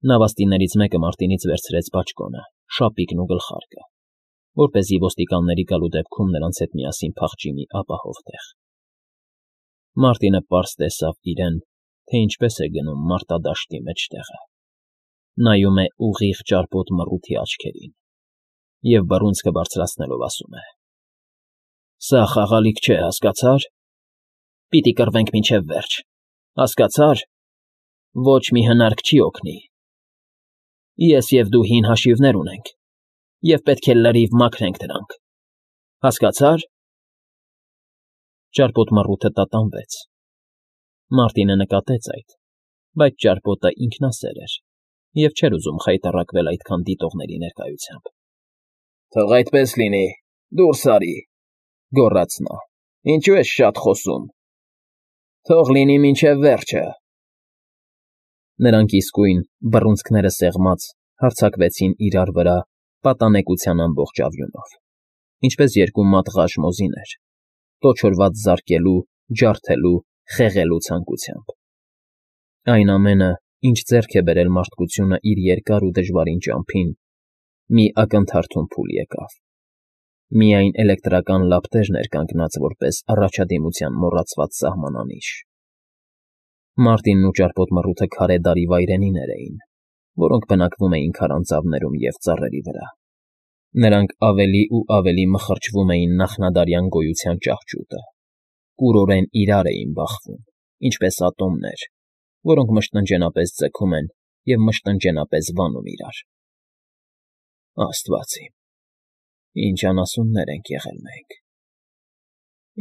Նավաստիներից մեկը Մարտինից վերցրեց բաճկոնը, շապիկն ու գլխարկը, որպեսզի ոստիկանների գալու դեպքում նրանց հետ միասին փախչի մի ապահով տեղ։ Մարտինը պարզ տեսավ իրեն, թե ինչպես է գնում մարտադաշտի մեջտեղը, նայում է ուղիղ ճարպոտ մռութի աչքերին և բռունցքը բարձրացնելով ասում է. «Սա խաղալիք չէ, հասկացա՞ր։ Պիտի կռվենք մինչև վերջ, հասկացա՞ր։ Ոչ մի հնարք չի օգնի։ Ես և դու հին հաշիվներ ունենք, և պետք է լրիվ մաքրենք դրանք, հասկացա՞ր»։ Ճարպոտ մռութը տատանվեց։ Մարտինը նկատեց այդ, բայց ճարպոտը ինքնասեր էր և չէր ուզում խայտառակվել այդքան դիտողների ներկայությամբ։ «Թող այդպես լինի, դուրս արի,֊ գոռաց նա,֊ ինչու ես շատ խոսում։ Թող լինի մինչև վերջը»։ Նրանք իսկույն, բռունցքները սեղմած, հարձակվեցին իրար վրա պատանեկության ամբողջ արյունով, ինչպես երկու մատղաշ մոզիներ, տոչորված զարկելու, ջարդելու, խեղելու ցանկությամբ։ Այն ամենը, ինչ ձեռք է բերել մարդկությունը իր երկար ու դժվարին ճամփին, մի ակնթարթում փուլ եկավ։ Միայն էլեկտրական լապտերն էր կանգնած որպես առաջադիմության մոռացված սահմանանիշ։ Մարտինն ու ճարպոտ մռութը քարե դարի վայրենիներ էին, որոնք բնակվում էին քարանձավներում և ծառերի վրա։ Նրանք ավելի ու ավելի մխրճվում էին նախնադարյան գոյության ճահճուտը, կուրորեն իրար էին բախվում, ինչպես ատոմներ, որոնք մշտնջենապես ձգում են և մշտնջենապես վանում իրար։ Աստված իմ, ինչ անասուններ ենք եղել մենք,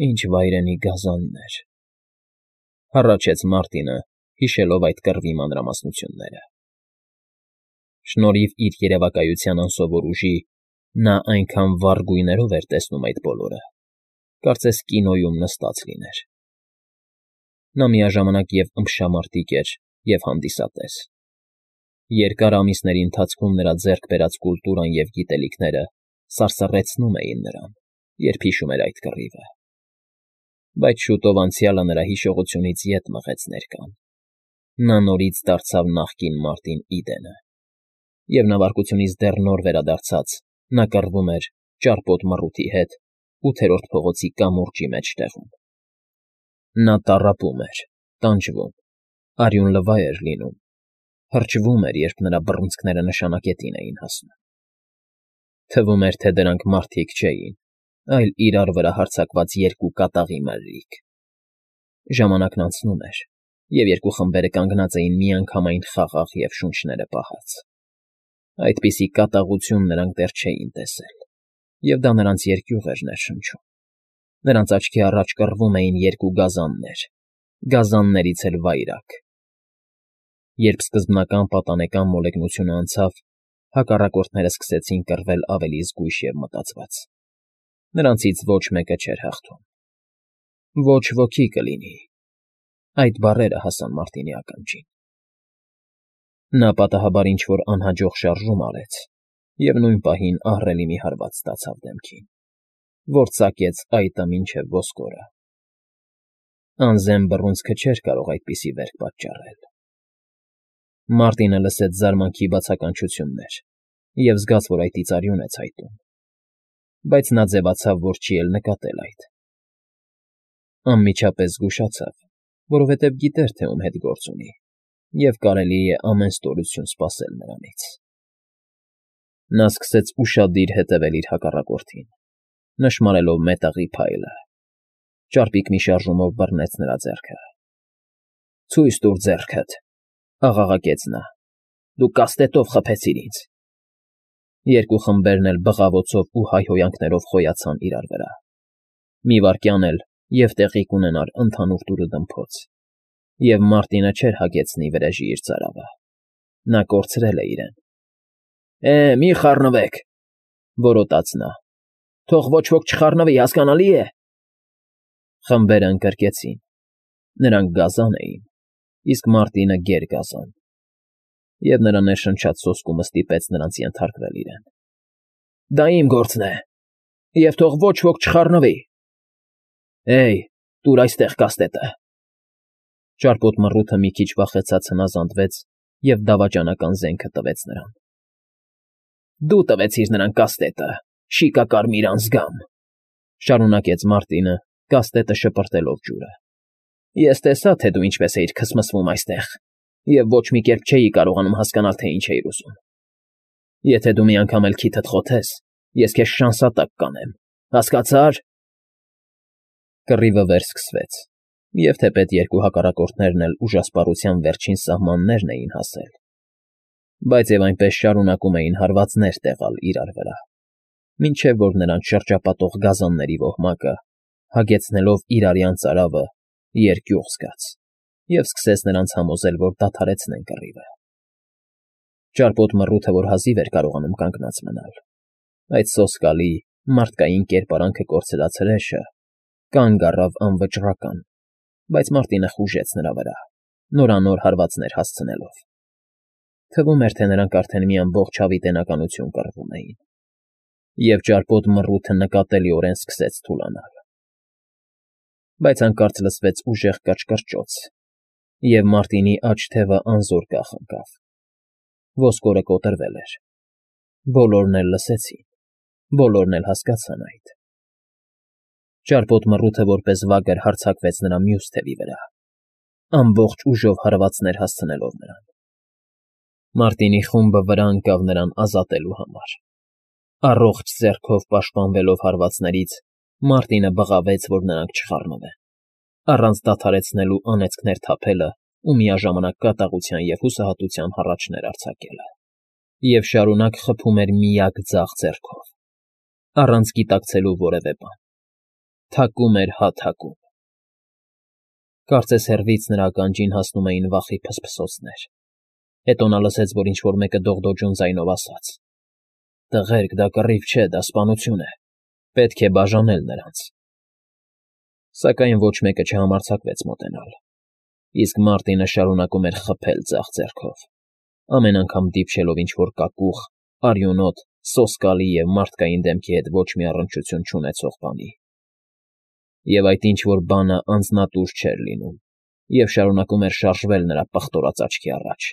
ինչ վայրենի գազաններ,֊ հառաչեց Մարտինը, հիշելով այդ կռվի մանրամասնությունները։ Շնորհիվ իր երևակայության անսովոր ուժի, նա այնքան վառ գույներով էր տեսնում այդ բոլորը, կարծես կինոյում նստած լիներ։ Նա միաժամանակ և ըմբշամարտիկ էր, և հանդիսատես։ Երկար ամիսների ընթացքում նրա ձեռք բերած կուլտուրան և գիտելիքները սարսռեցնում էին նրան, երբ հիշում էր այդ կռիվը։ Բայց շուտով անցյալը նրա հիշողությունից ետ մղեց ներկան։ Նա նորից դարձավ նախկին Մարտին Իդենը, և նավարկությունից դեռ նոր վերադարձած՝ նա կռվում էր ճարպոտ մռութի հետ 8-րդ փողոցի կամուրջի մեջտեղում։ Նա տառապում էր, տանջվում, արյունլվա էր լինում, հրճվում էր, երբ նրա բռունցքները նշանակետին էին հասնում։ Թվում էր, թե դրանք մարդիկ չէին, այլ իրար վրա հարձակված երկու կատաղի մրրիկ։ Ժամանակն անցնում էր, և երկու խմբերը կանգնած էին միանգամայն խաղաղ և շունչները պահած։ Այդպիսի կատաղություն նրանք դեռ չէին տեսել, և դա նրանց երկյուղ էր ներշնչում։ Նրանց աչքի առաջ կռվում էին երկու գազաններ, գազաններից էլ վայրագ։ Երբ սկզբնական պատանեկան մոլեգնությունը անցավ, հակառակորդները սկսեցին կռվել ավելի զգույշ և մտածված։ Նրանցից ոչ մեկը չէր հաղթում։ «Ոչ ոքի կլինի», այդ բառերը հասան Մարտինի ականջին։ Նա պատահաբար ինչ֊որ անհաջող շարժում արեց և նույն պահին ահռելի մի հարված ստացավ դեմքին, որ ծակեց այտը մինչև ոսկորը։ Անզեն բռունցքը չէր կարող այդպիսի վերք պատճառել։ Մարտինը լսեց զարմանքի բացականչություններ և զգաց, որ այտից արյուն է ցայտում, բայց նա ձևացավ, որ չի էլ նկատել այդ։ Անմիջապես զգուշացավ, որովհետև գիտեր, թե ում հետ գործ ունի, և կարելի է ամեն ստորություն սպասել նրանից։ Նա սկսեց ուշադիր հետևել իր հակառակորդին, նշմարելով մետաղի փայլը։ Ճարպիկ մի շարժումով բռնեց նրա ձեռքը։ «Ցույց տուր ձեռքդ,֊ աղաղակեց նա,֊ դու կաստետով խփեցիր ինձ»։ Երկու խմբերն էլ բղավոցով ու հայհոյանքներով խոյացան իրար վրա։ Մի վայրկյան էլ, և տեղի կունենար ընդհանուր տուռըդմփոց, և Մարտինը չէր հագեցնի վրեժի իր ծարավը։ Նա կորցրել է իրեն։ Մի խառնվեք,֊ որոտաց նա,֊ թող ոչ ոք չխառնվի, հասկանալի է։ Խմբերն ընկրկեցին։ Նրանք գազան էին, իսկ Մարտինը գերգազան, և նրա ներշնչած սոսկումը ստիպեց նրանց ենթարկվել իրեն։ «Դա իմ գործն է, և թող ոչ ոք չխառնվի»։ «Հեյ, տուր այստեղ կաստետը»։ Ճարպոտ մռութը մի քիչ վախեցած հնազանդվեց և դավաճանական զենքը տվեց նրան։ Դու տվեցիր նրան կաստետը, շիկակարմիր անձգամ,֊ շարունակեց Մարտինը, կաստետը շպրտելով ջուրը։ Ես տեսա, թե դու ինչպես էիր քսմսվում այստեղ, և ոչ մի կերպ չէի կարողանում հասկանալ, թե ինչ էիր ուզում։ Եթե դու մի անգամ էլ քիթդ խոթես, ես քեզ շանսատակ կանեմ, հասկացա՞ր… Կռիվը վերսկսվեց, և թեպետ երկու հակառակորդներն էլ ուժասպառության վերջին սահմաններն էին հասել, բայց և այնպես շարունակում էին հարվածներ տեղալ իրար վրա, մինչև որ նրանց շրջապատող գազանների ոհմակը, հագեցնելով իրարյան ծարավը, երկյուղ զգաց և սկսեց նրանց համոզել, որ դադարեցնեն կռիվը։ Ճարպոտ մռութը, որ հազիվ էր կարողանում կանգնած մնալ, այդ սոսկալի, մարդկային կերպարանքը կորցրած հրեշը կանգ առավ անվճռական, բայց Մարտինը խուժեց նրա վրա, նորանոր հարվածներ հասցնելով։ Թվում էր, թե նրանք արդեն մի ամբողջ հավիտենականություն կռվում էին, և ճարպոտ մռութը նկատելիորեն սկսեց թուլանալ։ Բայց հանկարծ լսվեց ուժեղ կչկչոց, և Մարտինի աջ թևը անզոր կախ ընկավ։ Ոսկորը կոտրվել էր։ Բոլորն էլ լսեցին, բոլորն էլ հասկացան այդ։ Ճարպոտ մռութը որպես վագր հարձակվեց նրա մյուս թևի վրա, ամբողջ ուժով հարվածներ հասցնելով նրան։ Մարտինի խումբը վրա ընկավ նրան ազատելու համար։ Առողջ ձեռքով պաշտպանվելով հարվածներից, Մարտինը բղավեց, որ նրանք չխառնվեն, առանց դադարեցնելու անեծքներ թափելը ու միաժամանակ կատաղության և հուսահատության հառաչներ արձակելը, և շարունակ խփում էր միակ ձախ ձեռքով, առանց գիտակցելու որևէ բան, թակում էր հա թակում։ Կարծես հեռվից նրա ականջին հասնում էին վախի փսփսոցներ, հետո նա լսեց, որ ինչ֊որ մեկը դողդոջուն ձայնով ասաց. «Տղերք, դա կռիվ չէ, դա սպանություն է, պետք է բաժանել նրանց»։ Սակայն ոչ մեկը չհամարձակվեց մոտենալ, իսկ Մարտինը շարունակում էր խփել ձախ ձեռքով, ամեն անգամ դիպչելով ինչ֊որ կակուղ, արյունոտ, սոսկալի և մարդկային դեմքի հետ ոչ մի առնչություն չունեցող բանի։ Եվ այդ ինչ֊որ բանը անձնատուր չէր լինում և շարունակում էր շարժվել նրա պղտորած աչքի առաջ։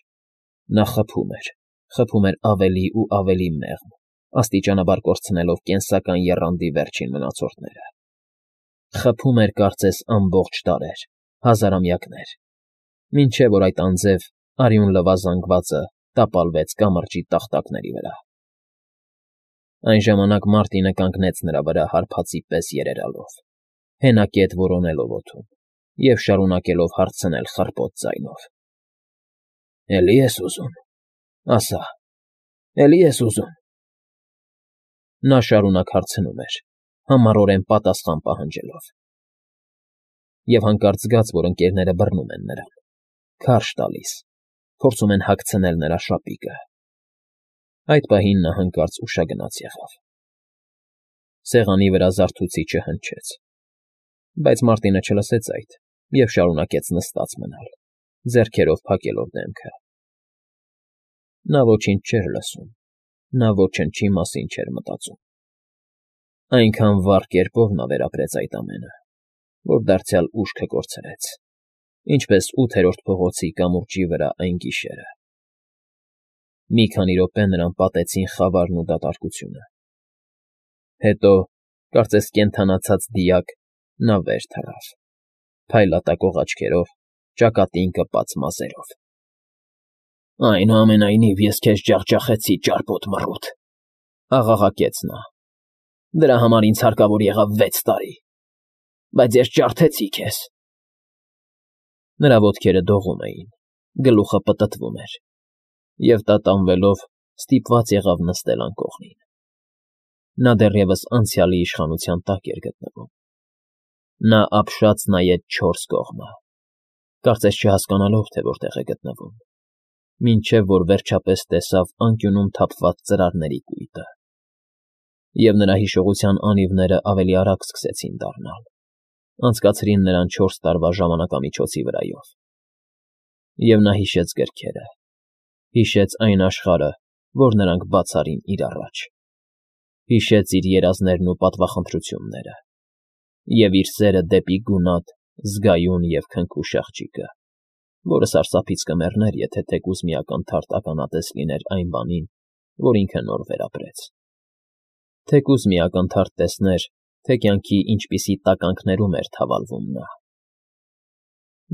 Նա խփում էր ավելի ու ավելի մեղմ, աստիճանաբար կորցնելով կենսական եռանդի վերջին մնացորդները։ Խփում էր կարծես ամբողջ դարեր, հազարամյակներ, մինչև որ այդ անձև, արյուն լվա զանգվածը տապալվեց կամրջի տախտակների վրա։ Այն ժամանակ Մարտինը կանգնեց նրա վրա հարբածի պես երերալով, հենակետ որոնելով օդում և շարունակելով հարցնել խռպոտ ձայնով. «Էլի ես ուզում, ասա, էլի ես ուզում»։ Նա շարունակ հարցնում էր, համառորեն պատասխան պահանջելով։ Եվ հանկարծ զգաց, որ ընկներները բռնում են նրան, քարշ տալիս, փորձում են հագցնել նրա շապիկը։ Այդ պահին նա հանկարծ ուշագնաց եղավ։ Սեղանի վրա զարթուցիչը հնչեց, բայց Մարտինը չլսեց այդ և շարունակեց նստած մնալ, ձեռքերով փակելով դեմքը։ Նա ոչինչ չէր լսում, նա ոչնչի մասին չէր մտածում։ Այնքան վառ կերպով նա վերապրեց այդ ամենը, որ դարձյալ ուշքը կորցրեց, ինչպես 8-րդ փողոցի կամուրջի վրա այն գիշերը։ Մի քանի րոպե նրան պատեցին խավարն ու դատարկությունը։ Հետո, կարծես կենդանացած դիակ, նա վեր թռավ, փայլատակող աչքերով, ճակատին կպած մազերով։ «Այնուամենայնիվ ես քեզ ջախջախեցի, ճարպոտ մռութ,֊ աղաղակեց նա,֊ դրա համար ինձ հարկավոր եղավ 6 տարի, բայց ես ջարդեցի քեզ»։ Նրա ոտքերը դողում էին, գլուխը պտտվում էր, և տատանվելով ստիպված եղավ նստել անկողնին։ Նա դեռևս անցյալի իշխանության տակ էր գտնվում։ Նա ապշած նայեց 4 կողմը, կարծես չհասկանալով, թե որտեղ է գտնվում, մինչև որ վերջապես տեսավ անկյունում թափված ծրարների կույտը, և նրա հիշողության անիվները ավելի արագ սկսեցին դառնալ, անցկացրին նրան 4 տարվա ժամանակամիջոցի վրայով։ Եվ նա հիշեց գրքերը, հիշեց այն աշխարհը, որ նրանք բաց արին իր առաջ, հիշեց իր երազներն ու պատվախնդրությունները, և իր սերը դեպի գունատ, զգայուն և քնքուշ աղջիկը, որը սարսափից կմեռներ, եթե թեկուզ մի ակնթարթ ականատես լիներ այն բանին, որ ինքը նոր վերապրեց. թեկուզ մի ակնթարթ տեսներ, թե կյանքի ինչպիսի տականքներում էր թավալվում նա։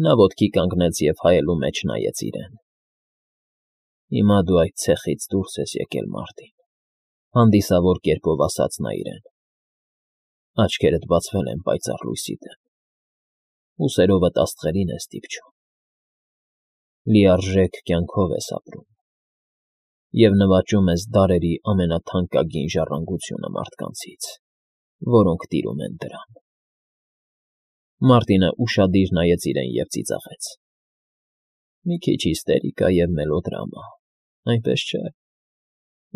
Նա ոտքի կանգնեց և հայելու մեջ նայեց իրեն։ «Հիմա դու այդ ցեխից դուրս ես եկել, Մարտին,֊ հանդիսավոր կերպով ասաց նա իրեն։ Աչքերդ բացվել են պայծառ լույսի դեմ, ուսերովդ աստղերին ես դիպչում, լիարժեք կյանքով ես ապրում և նվաճում ես դարերի ամենաթանկագին ժառանգությունը մարդկանցից, որոնք տիրում են դրան»։ Մարտինը ուշադիր նայեց իրեն և ծիծաղեց. «Մի քիչ հիստերիկա և մելոդրամա, այնպես չէ՞։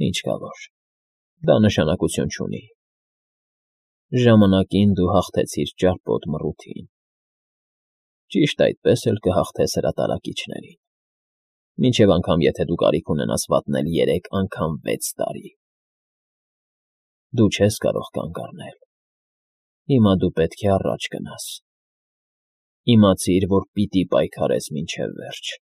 Ինչ կա որ, դա նշանակություն չունի։ Ժամանակին դու հաղթեցիր ճարպոտ մռութին, ճիշտ այդպես էլ կհաղթես հրատարակիչներին, մինչև անգամ եթե դու կարիք ունենաս վատնել 3 անգամ 6 տարի։ Դու չես կարող կանգ առնել, հիմա դու պետք է առաջ գնաս։ Իմացիր, որ պիտի պայքարես մինչև վերջ։